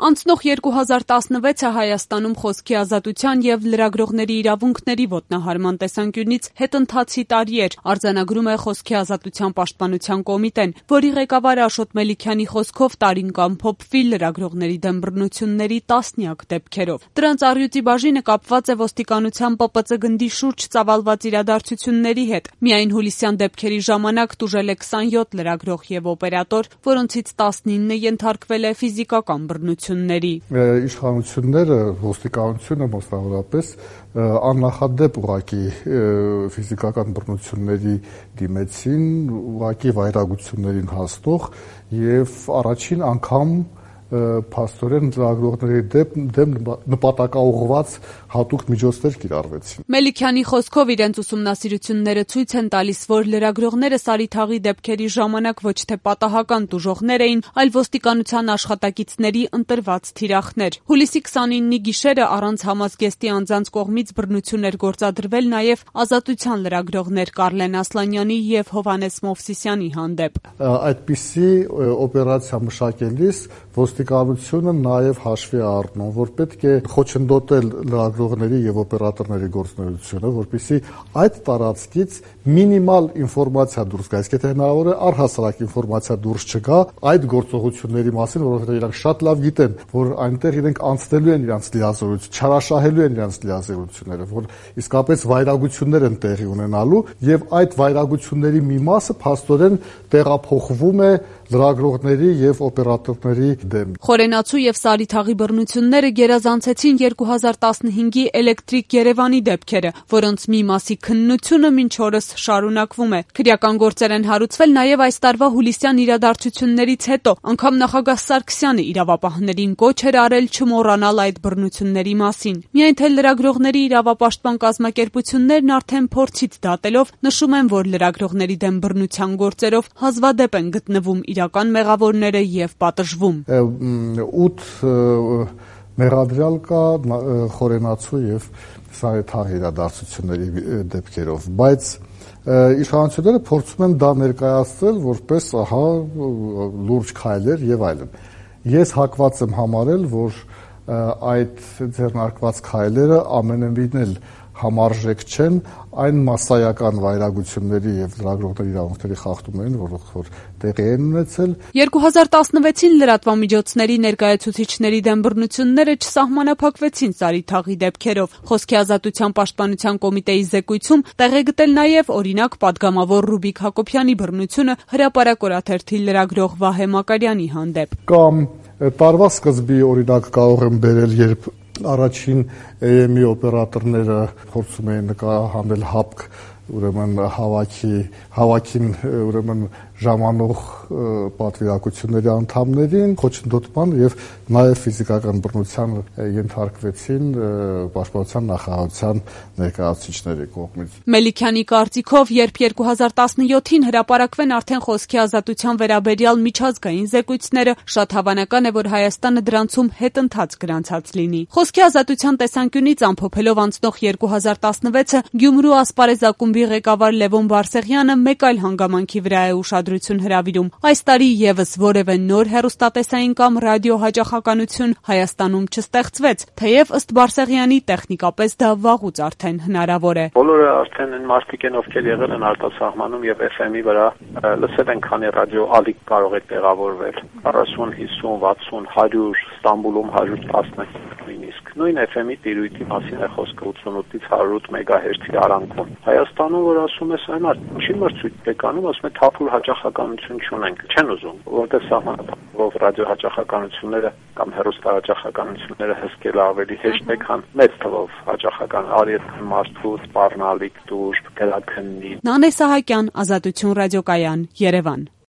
Անցնող 2016-ը Հայաստանում խոսքի ազատության եւ լրագրողների իրավունքների ոտնահարման տեսանկյունից հետընթացի տարի էր, արձանագրում է Խոսքի ազատության պաշտպանության կոմիտեն, որի ղեկավար Աշոտ Մելիքյանի խոսքով տարին կամփոփվի լրագրողների դեմ բռնությունների տասնյակ դեպքերով։ Դրանց առյուծի բաժինը կապված է ոստիկանության ՊՊՑ գնդի շուրջ ծավալված իրադարձությունների հետ։ Միայն հուլիսյան դեպքերի ժամանակ տուժել է 27 լրագրող եւ օպերատոր, որոնցից 19-ը ենթարկվել է ֆիզիկական բռնությունների։ Իշխանությունները, ոստիկանությունը մասնավորապես աննախադեպ ուղղակի ֆիզիկական բռնությունների դիմեցին, ուղղակի վայրագություններին հասնող եւ առաջին անգամ փաստորեն լրագրողների դեմ նպատակաուղղված հատուկ միջոցներ կիրառվեցին։ Մելիքյանի խոսքով իրենց ուսումնասիրությունները ցույց են տալիս, որ լրագրողները Սարիթաղի դեպքերի ժամանակ ոչ թե պատահական տուժողներ էին, այլ ոստիկանության աշխատակիցների ընտրված թիրախներ։ Հուլիսի 29-ի գիշերը առանց համազգեստի անձանց կողմից բռնություն էր գործադրվել նաև Ազատության լրագրողներ Կարլեն Ասլանյանի եւ Հովհաննես Մովսիսյանի հանդեպ։ Այդպիսի օպերացիա մշակելիս ոստիկանությունը նաև հաշվի առնում, որ պետք է խոչընդոտել լրագրողների եւ օպերատորների գործունեությունը, որպեսզի այդ տարածքից մինիմալ ինֆորմացիա դուրս գա, իսկ եթե հնարավոր է առհասարակ ինֆորմացիա դուրս չգա այդ գործողությունների մասին, որովհետեւ իրանք շատ լավ գիտեն, որ այնտեղ իրենք անցնելու են իրանց լիազորություն, չարաշահելու են իրանց լիազորությունները, որ իսկապես վայրագություններ են տեղի ունենալու եւ այդ վայրագությունների մի մասը փաստորեն տեղափոխվում է լրագրողների եւ օպերատորների դեմ։ Խորենացու եւ Սարիթաղի բռնությունները գերազանցեցին 2015-ի Էլեկտրիկ Երևանի դեպքերը, որոնց մի մասի քննությունը մինչ օրս շարունակվում է։ Քրեական գործեր են հարուցվել նաեւ այս տարվա հուլիսյան իրադարձություններից հետո, անգամ նախագահ Սարգսյանը իրավապահներին կոչ էր արել չմոռանալ այդ բռնությունների մասին։ Միայն թե լրագրողների իրավապաշտպան կազմակերպություններն արդեն փորձից դատելով նշում են, որ լրագրողների դեմ բռնության գործերով հազվադեպ են գտնվում իրական մեղավորները եւ պատժվում։ 8 մեղադրյալ կա Խորենացու եւ Սարիթաղի իրադարձությունների դեպքերով, բայց իշխանությունները փորձում են դա ներկայացնել որպես լուրջ քայլեր եւ այլն։ Ես հակված եմ համարել, որ այդ ձեռնարկված քայլերը ամենևին էլ համարժեք չեն այն մասսայական վայրագությունների եւ լրագրողների իրավունքների խախտումներին, որ տեղի են ունեցել։ 2016-ին լրատվամիջոցների ներկայացուցիչների դեմ բռնությունները չսահմանափակվեցին Սարիթաղի դեպքերով։ Խոսքի ազատության պաշտպանության կոմիտեի զեկույցում տեղ է գտել նաեւ օրինակ պատգամավոր Ռուբիկ Հակոբյանի բռնությունը հրապարակ օրաթերթի լրագրող Վահե Մակարյանի հանդեպ։ Կամ տարվա սկզբի օրինակ կարող եմ բերել, երբ առաջին AM-ի օպերատորները փորձում էին նկարահանել ՀԱՊԿ, ուրեմն հավաքին ուրեմն ժամանող պատվիրակությունների անդամներին խոչընդոտման եւ նաեւ ֆիզիկական բռնության ենթարկվեցին պաշտպանության նախարարության ներկայացուցիչների կողմից։ Մելիքյանի կարծիքով, երբ 2017-ին հրապարակվեն արդեն խոսքի ազատության վերաբերյալ միջազգային զեկույցները, շատ հավանական է, որ Հայաստանը դրանցում հետընթաց գրանցած լինի։ Խոսքի ազատության տեսանկյունից ամփոփելով անցնող 2016-ը Գյումրու ասպարեզ ակումբի ղեկավար Լևոն Բարսեղյանը մեկ այլ հանգամանքի վրա է ուշադրություն հրավիրում։ Այս տարի եւս որևէ նոր հեռուստատեսային կամ ռադիո հաճախականություն Հայաստանում չստեղծվեց, թեև ըստ Բարսեղյանի տեխնիկապես դա վաղուց արդեն հնարավոր է։ Բոլորը արդեն են մարդիկ են, ովքեր եղել են արտասահմանում եւ FM-ի վրա լսել են, քանի ռադիո ալիք կարող է տեղավորվել 40, 50, 60, 100, Ստամբուլում 110 նույնիսկ։ Նույն FM-ի տիրույթի մասին է խոսքը 88-ից 108 մեգահերթի արանքում։ Հայաստանում, որ ասում ես այն ինչի մրցույթ եք անում, ասում է թափուր հաճախականություն չունենք, չեն ուզում, որտեղ սահմանափակվող ռադիո հաճախականությունները կամ հեռուստահաճախականությունները հսկել ավելի հեշտ է, քան մեծ թվով հաճախական արիետ մարդու սպառնալիք դուրս գրաքննի։ Նանե Սահակյան, Ազատություն ռադիոկայան, Երևան։